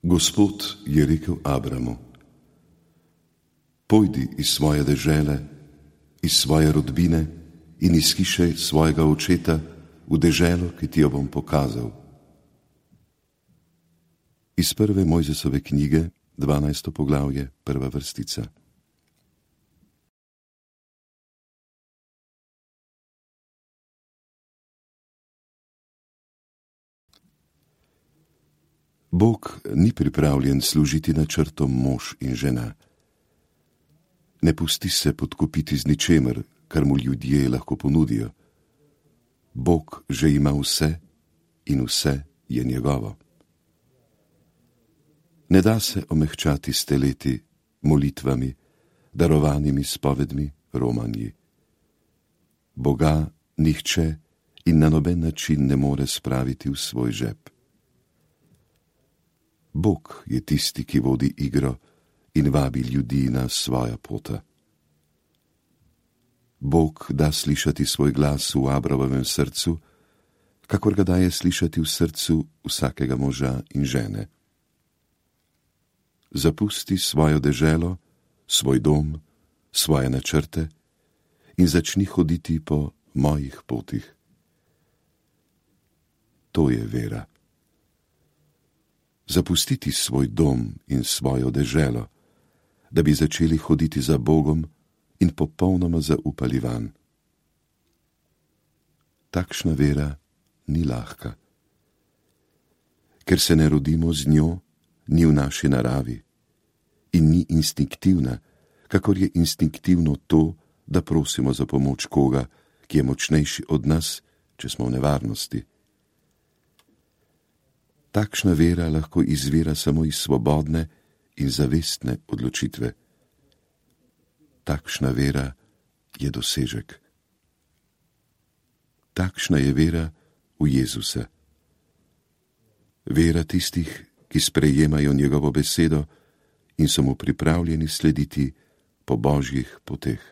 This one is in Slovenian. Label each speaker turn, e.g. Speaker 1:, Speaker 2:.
Speaker 1: Gospod je rekel Abramu: Pojdi iz svoje dežele, iz svoje rodbine in iz hiše svojega očeta v deželo, ki ti jo bom pokazal. Iz prve Mojzesove knjige, 12. poglavje, 1. vrstica. Bog ni pripravljen služiti načrtom mož in žena. Ne pusti se podkupiti z ničemer, kar mu ljudje lahko ponudijo. Bog že ima vse in vse je njegovo. Ne da se omehčati s teleti, molitvami, darovanimi spovedmi, romanji. Boga nihče in na noben način ne more spraviti v svoj žep. Bog je tisti, ki vodi igro in vabi ljudi na svoja pota. Bog da slišati svoj glas v Abramovem srcu, kakor ga daje slišati v srcu vsakega moža in žene. Zapusti svojo deželo, svoj dom, svoje načrte in začni hoditi po mojih potih. To je vera. Zapustiti svoj dom in svojo deželo, da bi začeli hoditi za Bogom in popolnoma zaupali vanj. Takšna vera ni lahka. Ker se ne rodimo z njo, ni v naši naravi in ni instinktivna, kakor je instinktivno to, da prosimo za pomoč koga, ki je močnejši od nas, če smo v nevarnosti. Takšna vera lahko izvira samo iz svobodne in zavestne odločitve. Takšna vera je dosežek. Takšna je vera v Jezusa. Vera tistih, ki sprejemajo njegovo besedo in so mu pripravljeni slediti po Božjih poteh.